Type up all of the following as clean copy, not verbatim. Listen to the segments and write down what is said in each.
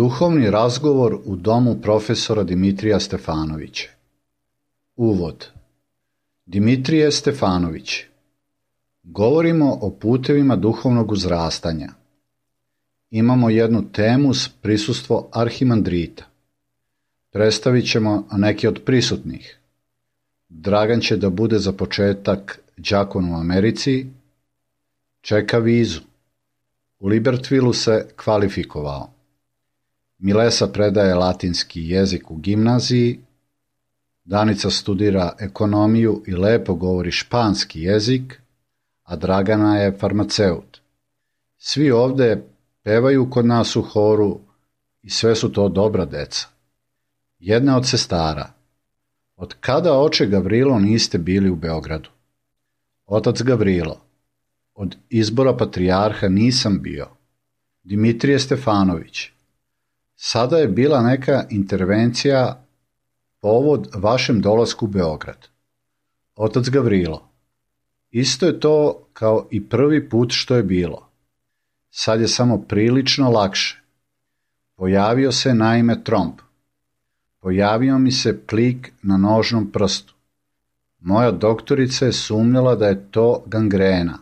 Duhovni razgovor u domu profesora Dimitrija Stefanovića. Uvod. Dimitrije Stefanović. Govorimo o putevima duhovnog uzrastanja. Imamo jednu temu s prisustvo arhimandrita. Predstavit ćemo neke od prisutnih. Dragan će da bude za početak đakon u Americi, čeka vizu. U Libertvilu se kvalifikovao. Milesa predaje latinski jezik u gimnaziji, Danica studira ekonomiju i lepo govori španski jezik, a Dragana je farmaceut. Svi ovde pevaju kod nas u horu i sve su to dobra deca. Jedna od sestara. Od kada, oče Gavrilo, niste bili u Beogradu? Otac Gavrilo. Od izbora patrijarha nisam bio. Dimitrije Stefanović. Sada je bila neka intervencija povod vašem dolasku u Beograd. Otac Gavrilo. Isto je to kao i prvi put što je bilo. Sad je samo prilično lakše. Pojavio se naime tromb. Pojavio mi se plik na nožnom prstu. Moja doktorica je sumnjala da je to gangrena,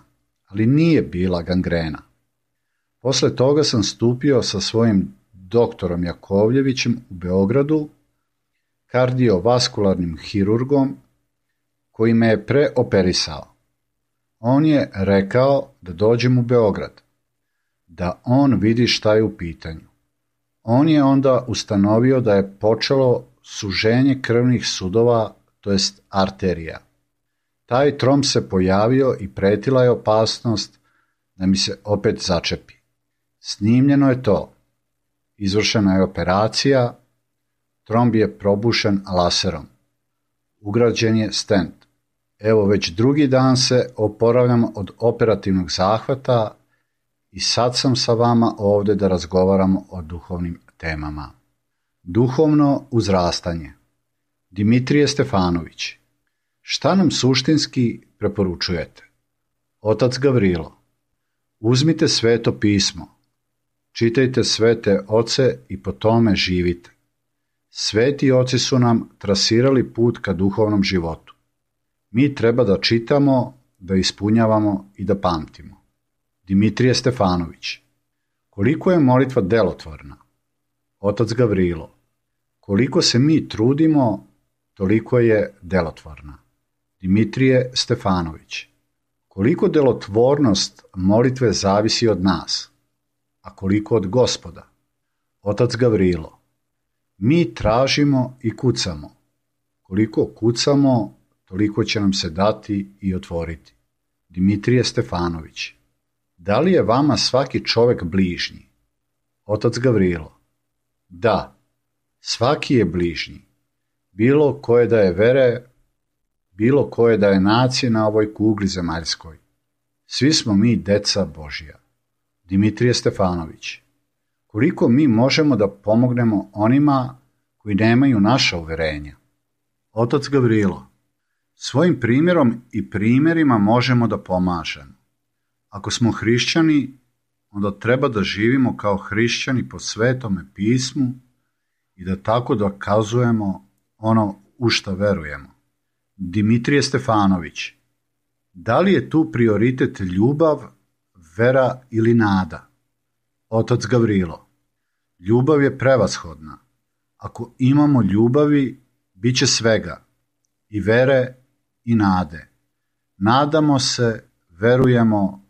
ali nije bila gangrena. Posle toga sam stupio sa svojim doktorom Jakovljevićem u Beogradu, kardiovaskularnim hirurgom, koji me je preoperisao. On je rekao da dođem u Beograd, da on vidi šta je u pitanju. On je onda ustanovio da je počelo suženje krvnih sudova, to jest arterija. Taj tromb se pojavio i pretila je opasnost da mi se opet začepi. Snimljeno je to. Izvršena je operacija, tromb je probušen laserom. Ugrađen je stent. Evo već drugi dan se oporavljam od operativnog zahvata i sad sam sa vama ovde da razgovaramo o duhovnim temama. Duhovno uzrastanje. Dimitrije Stefanović. Šta nam suštinski preporučujete? Otac Gavrilo. Uzmite sveto pismo. Čitajte svete oce i po tome živite. Sveti oci su nam trasirali put ka duhovnom životu. Mi treba da čitamo, da ispunjavamo i da pamtimo. Dimitrije Stefanović. Koliko je molitva delotvorna? Otac Gavrilo. Koliko se mi trudimo, toliko je delotvorna. Dimitrije Stefanović. Koliko delotvornost molitve zavisi od nas, a koliko od Gospoda? Otac Gavrilo. Mi tražimo i kucamo. Koliko kucamo, toliko će nam se dati i otvoriti. Dimitrije Stefanović. Da li je vama svaki čovek bližnji? Otac Gavrilo. Da, svaki je bližnji. Bilo koje da je vere, bilo koje da je nacije na ovoj kugli zemaljskoj. Svi smo mi deca Božja. Dimitrije Stefanović. Koliko mi možemo da pomognemo onima koji nemaju naša uverenja? Otac Gavrilo. Svojim primjerom i primjerima možemo da pomažemo. Ako smo hrišćani, onda treba da živimo kao hrišćani po svetome pismu i da tako dokazujemo ono u šta verujemo. Dimitrije Stefanović. Da li je tu prioritet ljubav, vera ili nada? Otac Gavrilo. Ljubav je prevashodna. Ako imamo ljubavi, bit će svega, i vere i nade. Nadamo se, verujemo,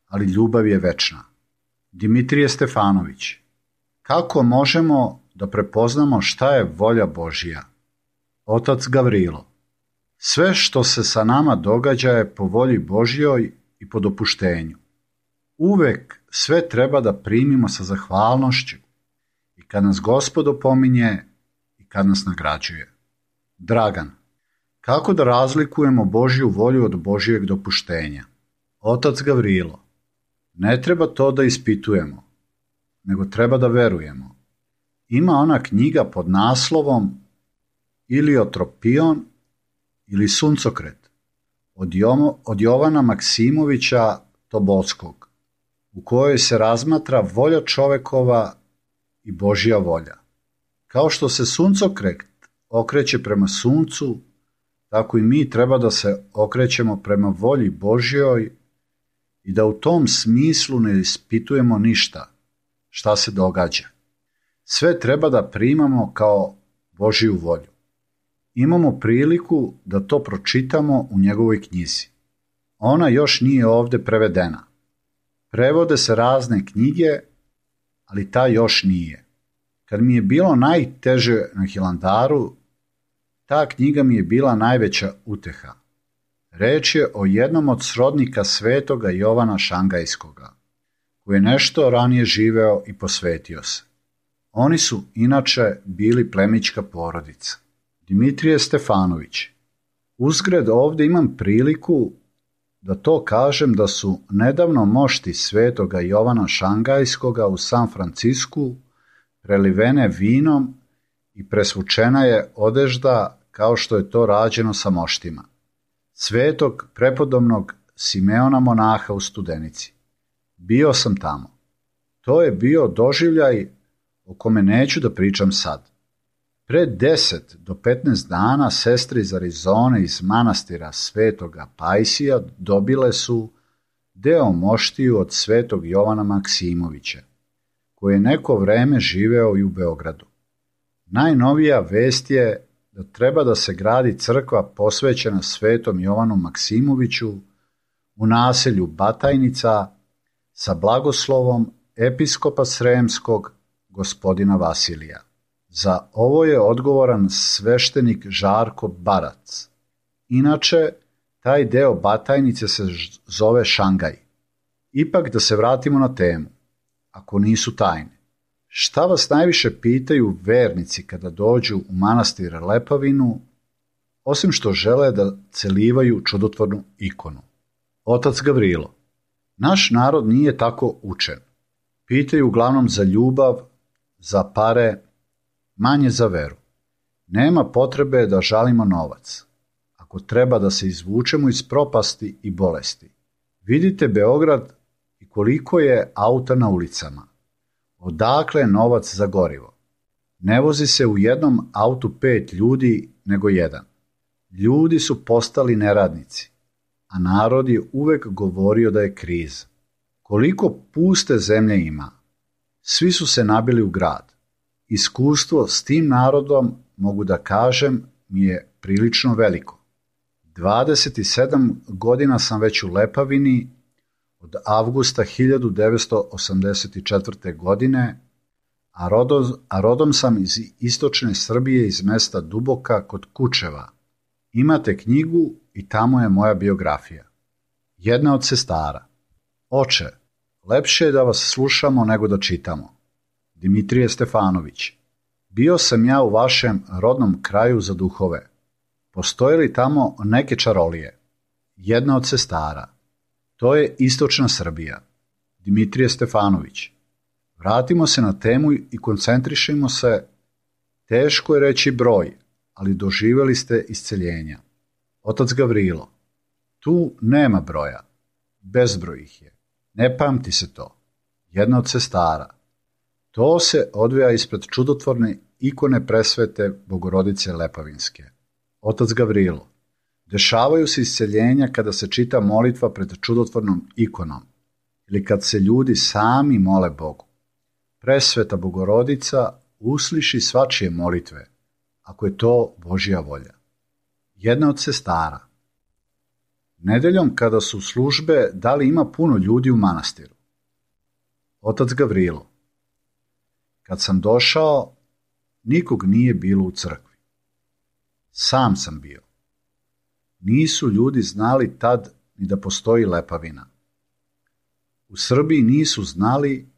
ali ljubav je večna. Dimitrije Stefanović. Kako možemo da prepoznamo šta je volja Božja? Otac Gavrilo. Sve što se sa nama događa je po volji Božjoj i po dopuštenju. Uvek sve treba da primimo sa zahvalnošću i kad nas Gospod opominje i kad nas nagrađuje. Dragan. Kako da razlikujemo Božju volju od Božjeg dopuštenja? Otac Gavrilo. Ne treba to da ispitujemo, nego treba da verujemo. Ima ona knjiga pod naslovom Iliotropion ili Suncokret od Jovana Maksimovića Tobolskog, u kojoj se razmatra volja čovekova i Božja volja. Kao što se suncokret okreće prema suncu, tako i mi treba da se okrećemo prema volji Božjoj i da u tom smislu ne ispitujemo ništa šta se događa. Sve treba da primamo kao Božju volju. Imamo priliku da to pročitamo u njegovoj knjizi. Ona još nije ovde prevedena. Prevode se razne knjige, ali ta još nije. Kad mi je bilo najteže na Hilandaru, ta knjiga mi je bila najveća uteha. Reč je o jednom od srodnika svetoga Jovana Šangajskoga, koji je nešto ranije živeo i posvetio se. Oni su inače bili plemićka porodica. Dimitrije Stefanović. Uzgred ovde imam priliku da to kažem da su nedavno mošti svetoga Jovana Šangajskoga u San Francisku prelivene vinom i presvučena je odežda kao što je to rađeno sa moštima svetog prepodobnog Simeona monaha u Studenici. Bio sam tamo. To je bio doživljaj o kome neću da pričam sad. Pre 10 do 15 dana sestre iz Arizone iz manastira svetoga Pajsija dobile su deo moštiju od svetog Jovana Maksimovića, koji je neko vreme živeo i u Beogradu. Najnovija vest je da treba da se gradi crkva posvećena svetom Jovanu Maksimoviću u naselju Batajnica sa blagoslovom episkopa Sremskog gospodina Vasilija. Za ovo je odgovoran sveštenik Žarko Barac. Inače, taj deo Batajnice se zove Šangaj. Ipak da se vratimo na temu, ako nisu tajne. Šta vas najviše pitaju vernici kada dođu u manastir Lepavinu, osim što žele da celivaju čudotvornu ikonu? Otac Gavrilo. Naš narod nije tako učen. Pitaju uglavnom za ljubav, za pare, manje za veru. Nema potrebe da žalimo novac, ako treba da se izvučemo iz propasti i bolesti. Vidite Beograd i koliko je auta na ulicama. Odakle novac za gorivo? Ne vozi se u jednom autu 5 ljudi, nego jedan. Ljudi su postali neradnici, a narod je uvek govorio da je kriza. Koliko puste zemlje ima? Svi su se nabili u grad. Iskustvo s tim narodom, mogu da kažem, mi je prilično veliko. 27 godina sam već u Lepavini, od avgusta 1984. godine, a rodom sam iz istočne Srbije iz mesta Duboka kod Kučeva. Imate knjigu i tamo je moja biografija. Jedna od sestara. Oče, lepše je da vas slušamo nego da čitamo. Dimitrije Stefanović. Bio sam ja u vašem rodnom kraju za duhove. Postoje li tamo neke čarolije? Jedna od sestara. To je istočna Srbija. Dimitrije Stefanović. Vratimo se na temu i koncentrišimo se. Teško je reći broj, ali doživjeli ste isceljenja. Otac Gavrilo. Tu nema broja. Bezbroj ih je. Ne pamti se to. Jedna od sestara. To se odvija ispred čudotvorne ikone presvete Bogorodice Lepavinske. Otac Gavrilo. Dešavaju se isceljenja kada se čita molitva pred čudotvornom ikonom ili kad se ljudi sami mole Bogu. Presveta Bogorodica usliši svačije molitve, ako je to Božja volja. Jedna od sestara. Nedeljom kada su službe, da li ima puno ljudi u manastiru? Otac Gavrilo. Kad sam došao, nikog nije bilo u crkvi. Sam sam bio. Nisu ljudi znali tad ni da postoji Lepavina. U Srbiji nisu znali,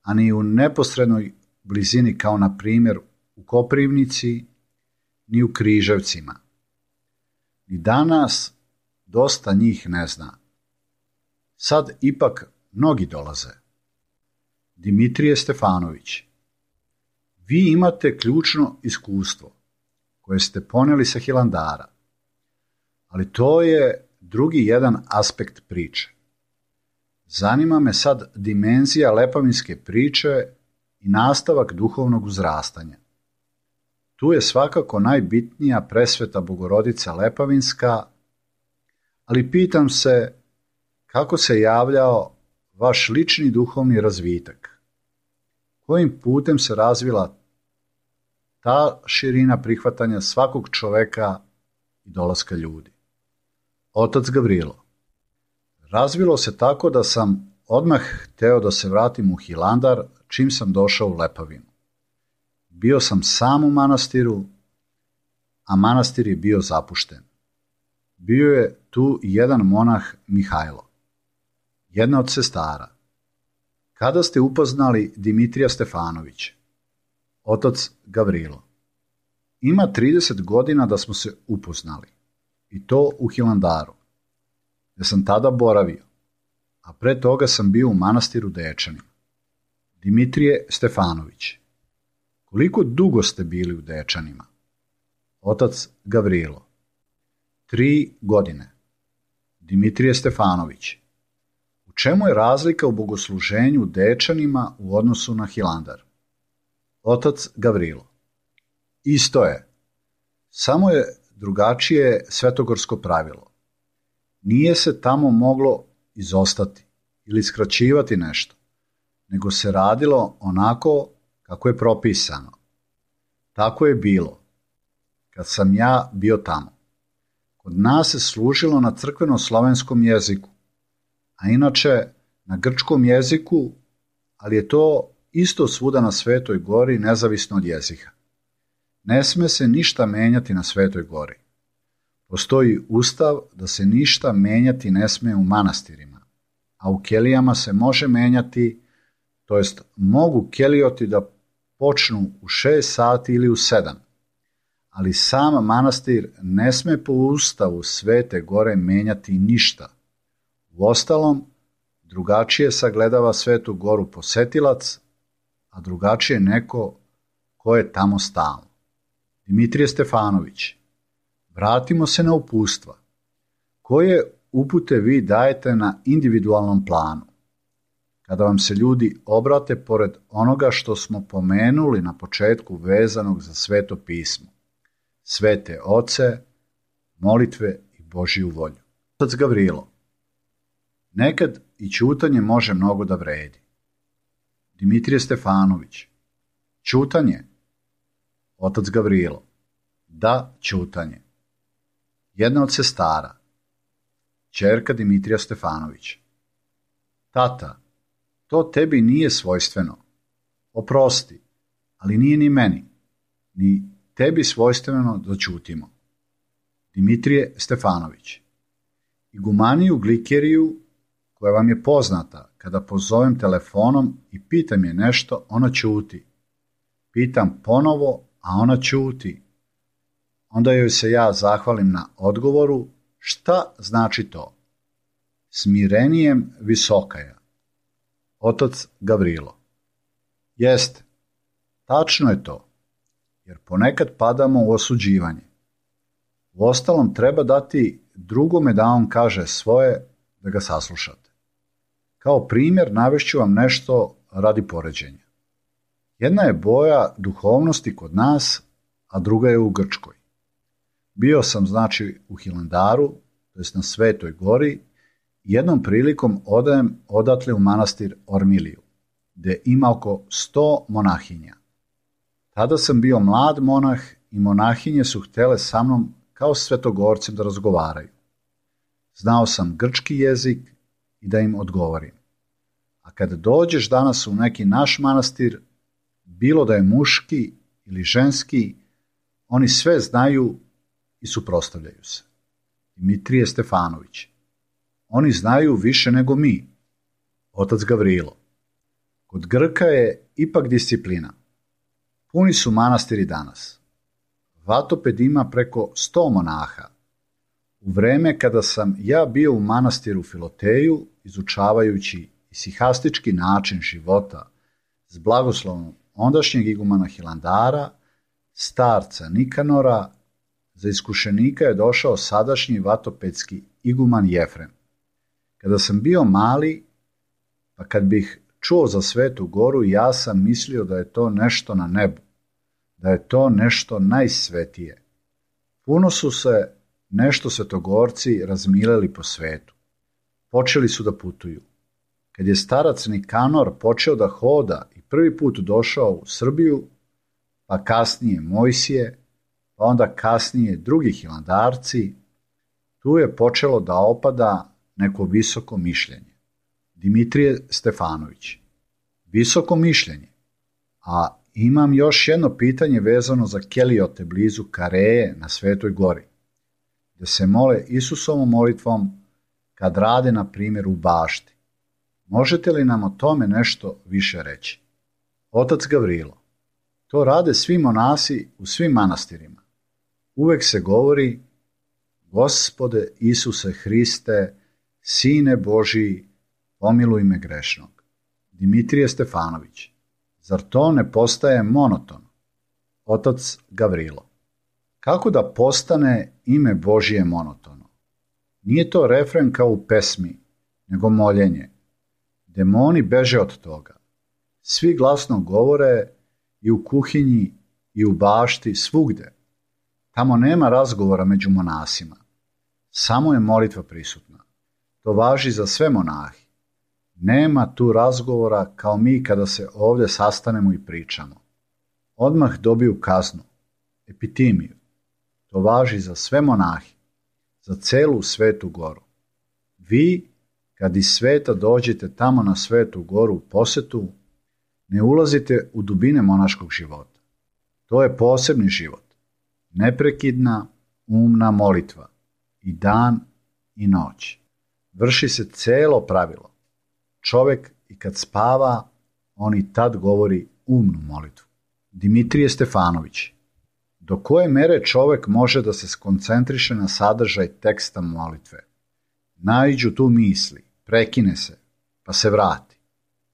a ni u neposrednoj blizini kao na primjer u Koprivnici, ni u Križevcima. Ni danas dosta njih ne zna. Sad ipak mnogi dolaze. Dimitrije Stefanović. Vi imate ključno iskustvo koje ste poneli sa Hilandara, ali to je drugi jedan aspekt priče. Zanima me sad dimenzija lepavinske priče i nastavak duhovnog uzrastanja. Tu je svakako najbitnija presveta Bogorodica Lepavinska, ali pitam se kako se javljao vaš lični duhovni razvitak, kojim putem se razvila ta širina prihvatanja svakog čoveka i dolaska ljudi. Otac Gavrilo: razvilo se tako da sam odmah hteo da se vratim u Hilandar čim sam došao u Lepavinu. Bio sam sam u manastiru, a manastir je bio zapušten. Bio je tu i jedan monah Mihajlo, jedna od sestara. Kada ste upoznali Dimitrija Stefanovića? Otac Gavrilo: ima 30 godina da smo se upoznali, i to u Hilandaru, gde sam tada boravio, a pre toga sam bio u manastiru Dečanima. Dimitrije Stefanović: koliko dugo ste bili u Dečanima? Otac Gavrilo: 3 godine. Dimitrije Stefanović: u čemu je razlika u bogosluženju u Dečanima u odnosu na Hilandar? Otac Gavrilo: isto je, samo je drugačije svetogorsko pravilo. Nije se tamo moglo izostati ili skraćivati nešto, nego se radilo onako kako je propisano. Tako je bilo kad sam ja bio tamo. Kod nas se služilo na crkveno-slovenskom jeziku, a inače na grčkom jeziku, ali je to isto svuda na Svetoj gori, nezavisno od jezika. Ne sme se ništa menjati na Svetoj gori. Postoji ustav da se ništa menjati ne sme u manastirima, a u kelijama se može menjati, to jest mogu kelijoti da počnu u 6 sati ili u 7, ali sam manastir ne sme po ustavu Svete gore menjati ništa. Uostalom, drugačije sagledava Svetu goru posetilac, a drugačije neko ko je tamo stalno. Dimitrije Stefanović: vratimo se na uputstva. Koje upute vi dajete na individualnom planu? Kada vam se ljudi obrate pored onoga što smo pomenuli na početku vezanog za Sveto pismo, svete oce, molitve i Božiju volju. Otac Gavrilo: nekad i ćutanje može mnogo da vredi. Dimitrije Stefanović: ćutanje? Otac Gavrilo: da, ćutanje. Jedna od sestara, ćerka Dimitrija Stefanovića: tata, to tebi nije svojstveno. Oprosti, ali nije ni meni, ni tebi svojstveno da ćutimo. Dimitrije Stefanović: igumaniju Glikeriju, koja vam je poznata, kada pozovem telefonom i pitam je nešto, ona ćuti. Pitam ponovo, a ona ćuti. Onda joj se ja zahvalim na odgovoru. Šta znači to? Smirenijem visokaja. Otac Gavrilo: jeste, tačno je to, jer ponekad padamo u osuđivanje. Uostalom treba dati drugome da on kaže svoje, da ga saslušate. Kao primjer navešću vam nešto radi poređenja. Jedna je boja duhovnosti kod nas, a druga je u Grčkoj. Bio sam znači u Hilandaru, to jest na Svetoj gori, i jednom prilikom odem odatle u manastir Ormiliju, gde ima oko 100 monahinja. Tada sam bio mlad monah i monahinje su htele sa mnom kao svetogorcem da razgovaraju. Znao sam grčki jezik i da im odgovorim. A kada dođeš danas u neki naš manastir, bilo da je muški ili ženski, oni sve znaju i suprotstavljaju se. Dimitrije Stefanović: oni znaju više nego mi. Otac Gavrilo: kod Grka je ipak disciplina. Puni su manastiri danas. Vatoped ima preko 100 monaha. U vreme kada sam ja bio u manastiru Filoteju, izučavajući isihastički način života s blagoslovom ondašnjeg igumana Hilandara, starca Nikanora, za iskušenika je došao sadašnji vatopedski iguman Jefrem. Kada sam bio mali, pa kad bih čuo za Svetu Goru i ja sam mislio da je to nešto na nebu, da je to nešto najsvetije. Puno su se nešto svetogorci razmileli po svetu. Počeli su da putuju. Kad je starac Nikanor počeo da hoda i prvi put došao u Srbiju, pa kasnije Mojsije, pa onda kasnije drugi hilandarci, tu je počelo da opada neko visoko mišljenje. Dimitrije Stefanović. Visoko mišljenje. A imam još jedno pitanje vezano za Keliote blizu Kareje na Svetoj Gori, gde se mole Isusovom molitvom kad rade, na primjer, u bašti. Možete li nam o tome nešto više reći? Otac Gavrilo. To rade svi monasi u svim manastirima. Uvek se govori: Gospode Isuse Hriste, Sine Božiji, pomiluj me grešnog. Dimitrije Stefanović. Zar to ne postaje monotono? Otac Gavrilo. Kako da postane ime Božije monotono? Nije to refren kao u pesmi, nego moljenje. Demoni beže od toga. Svi glasno govore i u kuhinji i u bašti, svugde. Tamo nema razgovora među monasima. Samo je molitva prisutna. To važi za sve monahi. Nema tu razgovora kao mi kada se ovdje sastanemo i pričamo. Odmah dobiju kaznu, epitimiju. To važi za sve monahi, za celu Svetu Goru. Vi, kad iz sveta dođete tamo na Svetu Goru u posetu, ne ulazite u dubine monaškog života. To je posebni život. Neprekidna, umna molitva. I dan i noć. Vrši se celo pravilo. Čovek i kad spava, on i tad govori umnu molitvu. Dimitrije Stefanović. Do koje mere čovek može da se skoncentriše na sadržaj teksta molitve? Naiđu tu misli, prekine se, pa se vrati.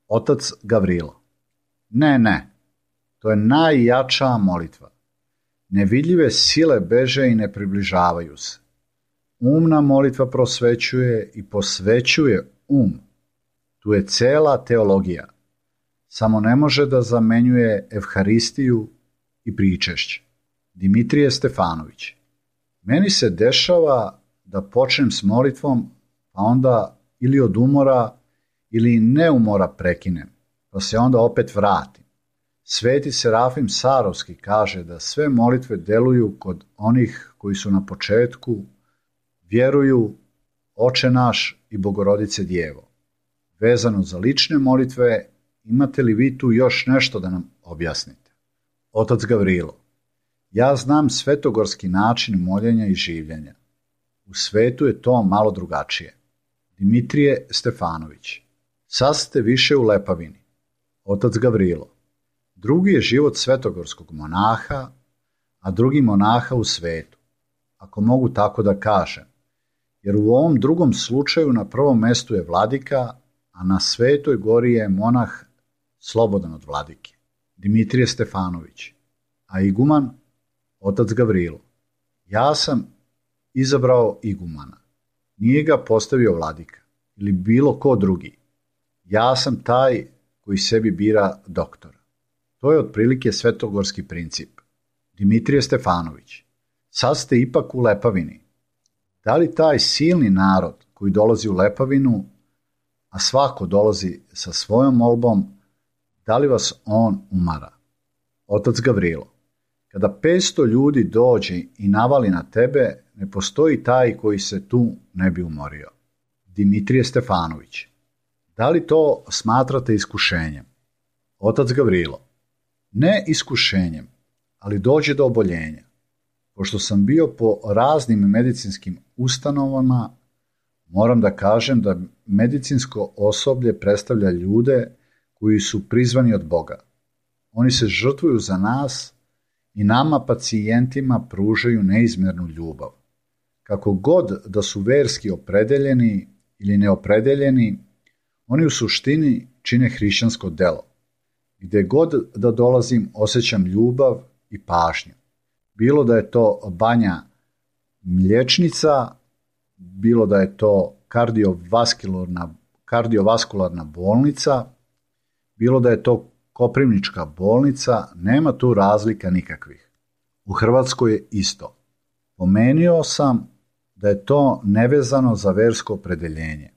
Otac Gavrilo. Ne, to je najjača molitva. Nevidljive sile beže i ne približavaju se. Umna molitva prosvećuje i posvećuje um. Tu je cela teologija. Samo ne može da zamenjuje evharistiju i pričešće. Dimitrije Stefanović. Meni se dešava da počnem s molitvom, pa onda ili od umora ili neumora prekinem, pa se onda opet vratim. Sveti Serafim Sarovski kaže da sve molitve deluju kod onih koji su na početku, vjeruju Oče naš i Bogorodice Djevo. Vezano za lične molitve, imate li vi tu još nešto da nam objasnite? Otac Gavrilo. Ja znam svetogorski način moljenja i življenja. U svetu je to malo drugačije. Dimitrije Stefanović. Sad ste više u Lepavini. Otac Gavrilo. Drugi je život svetogorskog monaha, a drugi monaha u svetu, ako mogu tako da kažem, jer u ovom drugom slučaju na prvom mestu je vladika, a na Svetoj Gori je monah slobodan od vladike. Dimitrije Stefanović. A iguman? Otac Gavrilo. Ja sam izabrao igumana. Nije ga postavio vladika ili bilo ko drugi. Ja sam taj koji sebi bira doktora. To je otprilike svetogorski princip. Dimitrije Stefanović. Sad ste ipak u Lepavini. Da li taj silni narod koji dolazi u Lepavinu, a svako dolazi sa svojom molbom, da li vas on umara? Otac Gavrilo. Kada 500 ljudi dođe i navali na tebe, ne postoji taj koji se tu ne bi umorio. Dimitrije Stefanović. Da li to smatrate iskušenjem? Otac Gavrilo. Ne iskušenjem, ali dođe do oboljenja. Pošto sam bio po raznim medicinskim ustanovama, moram da kažem da medicinsko osoblje predstavlja ljude koji su prizvani od Boga. Oni se žrtvuju za nas i nama pacijentima pružaju neizmjernu ljubav. Kako god da su verski opredeljeni ili neopredeljeni, oni u suštini čine hrišćansko delo. Gde god da dolazim osjećam ljubav i pažnju. Bilo da je to Banja Mlječnica, bilo da je to kardiovaskularna bolnica bilo da je to Koprivnička bolnica, nema tu razlika nikakvih. U Hrvatskoj je isto. Pomenuo sam da je to nevezano za versko opredeljenje,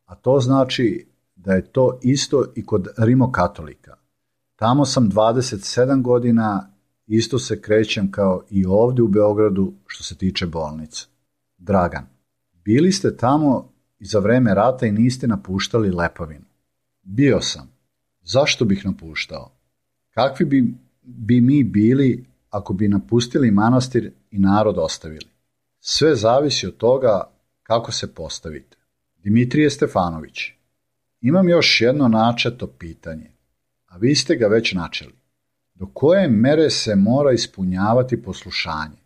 a to znači da je to isto i kod rimokatolika. Tamo sam 27 godina, isto se krećem kao i ovdje u Beogradu što se tiče bolnice. Dragan, bili ste tamo i za vreme rata i niste napuštali Lepavinu. Bio sam. Zašto bih napuštao? Kakvi bi mi bili ako bi napustili manastir i narod ostavili? Sve zavisi od toga kako se postavite. Dimitrije Stefanović, imam još jedno načeto pitanje, a vi ste ga već načeli. Do koje mere se mora ispunjavati poslušanje,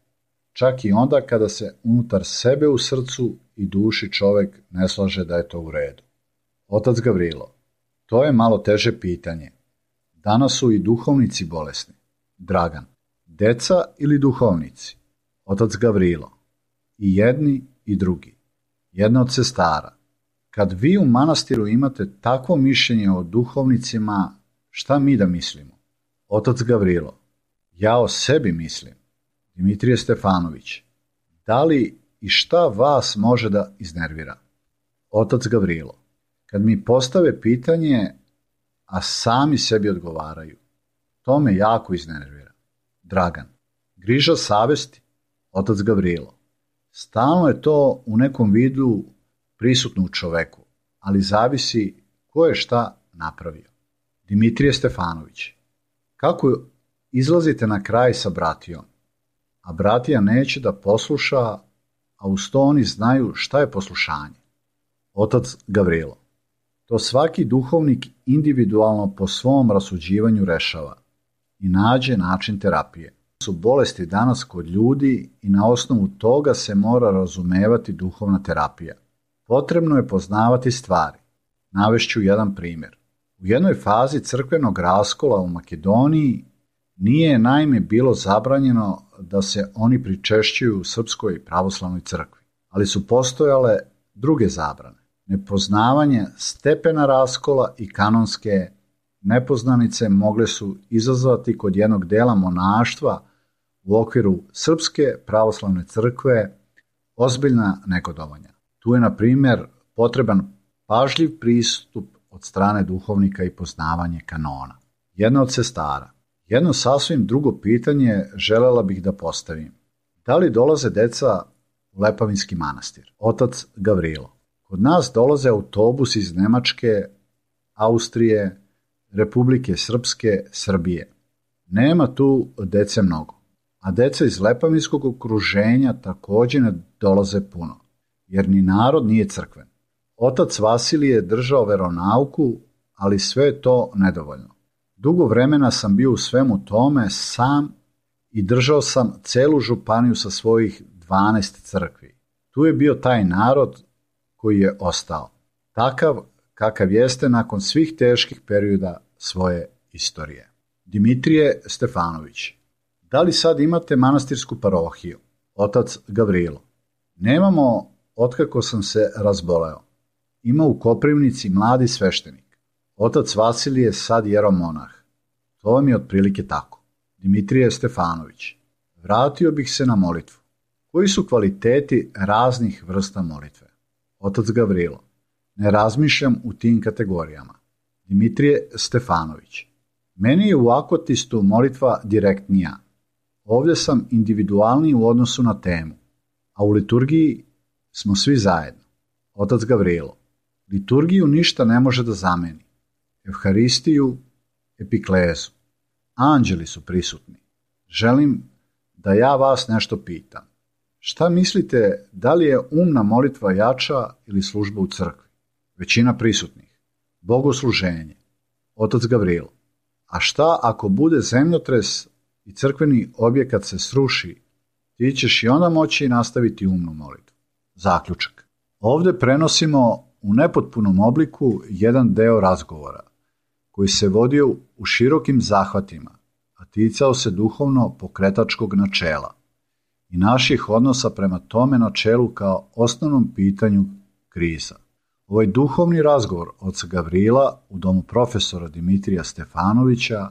čak i onda kada se unutar sebe u srcu i duši čovjek ne slaže da je to u redu? Otac Gavrilo, to je malo teže pitanje. Danas su i duhovnici bolesni. Dragan, deca ili duhovnici? Otac Gavrilo, i jedni i drugi. Jedna od sestara. Kad vi u manastiru imate takvo mišljenje o duhovnicima, šta mi da mislimo? Otac Gavrilo, ja o sebi mislim. Dimitrije Stefanović, da li i šta vas može da iznervira? Otac Gavrilo, kad mi postave pitanje, a sami sebi odgovaraju, to me jako iznervira. Dragan, griža savesti? Otac Gavrilo, stalno je to u nekom vidu prisutno u čoveku, ali zavisi ko je šta napravio. Dimitrije Stefanović, kako izlazite na kraj sa bratijom, a bratija neće da posluša, a uz to oni znaju šta je poslušanje? Otac Gavrilo, to svaki duhovnik individualno po svom rasuđivanju rešava i nađe način terapije. Su bolesti danas kod ljudi i na osnovu toga se mora razumevati duhovna terapija. Potrebno je poznavati stvari. Navešću jedan primjer. U jednoj fazi crkvenog raskola u Makedoniji nije naime bilo zabranjeno da se oni pričešćuju u Srpskoj pravoslavnoj crkvi, ali su postojale druge zabrane. Nepoznavanje stepena raskola i kanonske nepoznanice mogle su izazvati kod jednog dela monaštva u okviru Srpske pravoslavne crkve ozbiljna negodovanja. Tu je, na primjer, potreban pažljiv pristup od strane duhovnika i poznavanje kanona. Jedna od sestara. Jedno sasvim drugo pitanje želela bih da postavim. Da li dolaze deca u Lepavinski manastir? Otac Gavrilo. Kod nas dolaze autobus iz Nemačke, Austrije, Republike Srpske, Srbije. Nema tu dece mnogo, a deca iz Lepavinskog okruženja također ne dolaze puno, jer ni narod nije crkven. Otac Vasilije je držao veronauku, ali sve je to nedovoljno. Dugo vremena sam bio u svemu tome sam i držao sam celu županiju sa svojih 12 crkvi. Tu je bio taj narod koji je ostao, takav kakav jeste nakon svih teških perioda svoje istorije. Dimitrije Stefanović, da li sad imate manastirsku parohiju? Otac Gavrilo, nemamo otkako sam se razboleo. Ima u Koprivnici mladi sveštenik. Otac Vasilije je sad jeromonah. To vam je otprilike tako. Dimitrije Stefanović, vratio bih se na molitvu. Koji su kvaliteti raznih vrsta molitve? Otac Gavrilo, ne razmišljam u tim kategorijama. Dimitrije Stefanović, meni je u Akotistu molitva direktnija. Ovdje sam individualniji u odnosu na temu, a u liturgiji smo svi zajedno. Otac Gavrilo, liturgiju ništa ne može da zameni. Evharistiju, epiklezu. Anđeli su prisutni. Želim da ja vas nešto pitam. Šta mislite, da li je umna molitva jača ili služba u crkvi? Većina prisutnih. Bogosluženje. Otac Gavrilo, a šta ako bude zemljotres i crkveni objekat se sruši, ti ćeš i onda moći nastaviti umnu molitvu. Zaključak. Ovdje prenosimo u nepotpunom obliku jedan deo razgovora, koji se vodio u širokim zahvatima, a ticao se duhovno pokretačkog načela i naših odnosa prema tome načelu kao osnovnom pitanju kriza. Ovaj duhovni razgovor oca Gavrila u domu profesora Dimitrija Stefanovića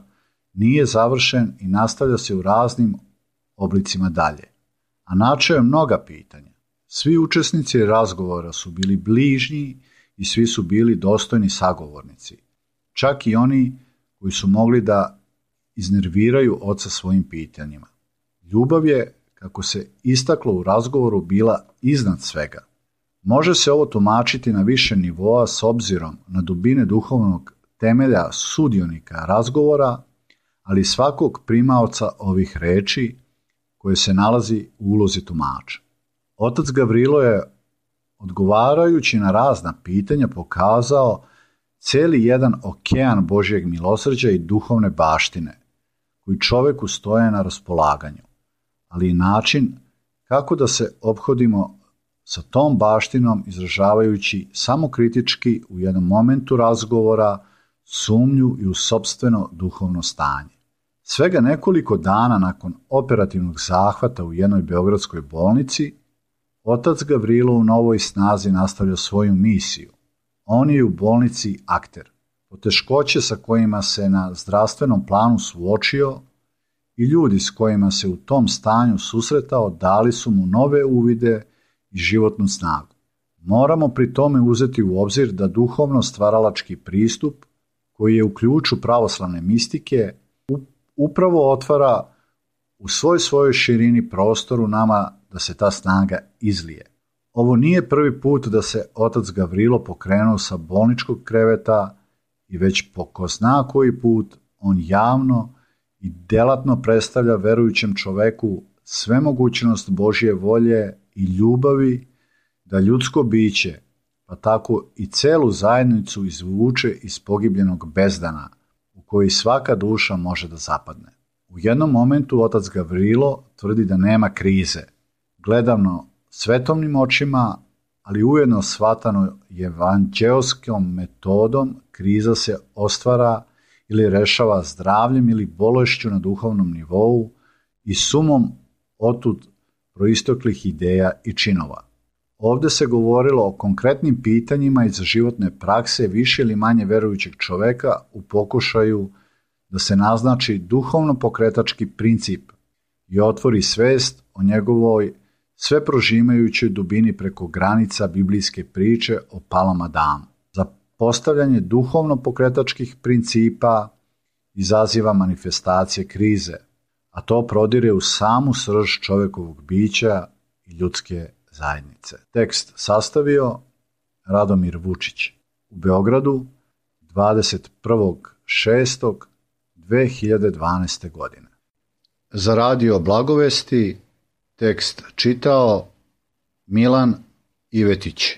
nije završen i nastavlja se u raznim oblicima dalje, a načeo je mnoga pitanja. Svi učesnici razgovora su bili bližnji i svi su bili dostojni sagovornici, čak i oni koji su mogli da iznerviraju oca svojim pitanjima. Ljubav je, kako se istaklo u razgovoru, bila iznad svega. Može se ovo tumačiti na više nivoa s obzirom na dubine duhovnog temelja sudionika razgovora, ali i svakog primaoca ovih reči koje se nalazi u ulozi tumača. Otac Gavrilo je, odgovarajući na razna pitanja, pokazao cijeli jedan okean Božjeg milosrđa i duhovne baštine, koji čoveku stoje na raspolaganju, ali i način kako da se ophodimo sa tom baštinom, izražavajući samokritički u jednom momentu razgovora sumnju i u sopstveno duhovno stanje. Svega nekoliko dana nakon operativnog zahvata u jednoj beogradskoj bolnici, otac Gavrilo u novoj snazi nastavlja svoju misiju. On je u bolnici akter. Poteškoće sa kojima se na zdravstvenom planu suočio i ljudi s kojima se u tom stanju susretao dali su mu nove uvide i životnu snagu. Moramo pri tome uzeti u obzir da duhovno stvaralački pristup, koji je u ključu pravoslavne mistike, upravo otvara u svojoj širini prostoru nama da se ta snaga izlije. Ovo nije prvi put da se otac Gavrilo pokrenuo sa bolničkog kreveta i već po ko zna koji put on javno i delatno predstavlja verujućem čoveku svemogućnost Božje volje i ljubavi da ljudsko biće, pa tako i celu zajednicu izvuče iz pogibljenog bezdana u koji svaka duša može da zapadne. U jednom momentu otac Gavrilo tvrdi da nema krize. Gledano svetovnim očima, ali ujedno shvatano evanđeoskom metodom, kriza se ostvara ili rešava zdravljem ili bolešću na duhovnom nivou i sumom otud proistoklih ideja i činova. Ovdje se govorilo o konkretnim pitanjima iz životne prakse više ili manje verujućeg čoveka u pokušaju da se naznači duhovno pokretački princip i otvori svest o njegovoj sve prožimajućoj dubini preko granica biblijske priče o palom Adamu. Za postavljanje duhovno pokretačkih principa izaziva manifestacije krize, a to prodire u samu srž čovekovog bića i ljudske zajednice. Tekst sastavio Radomir Vučić u Beogradu 21.6.2012. godine. Za radio Blagovesti tekst čitao Milan Ivetić.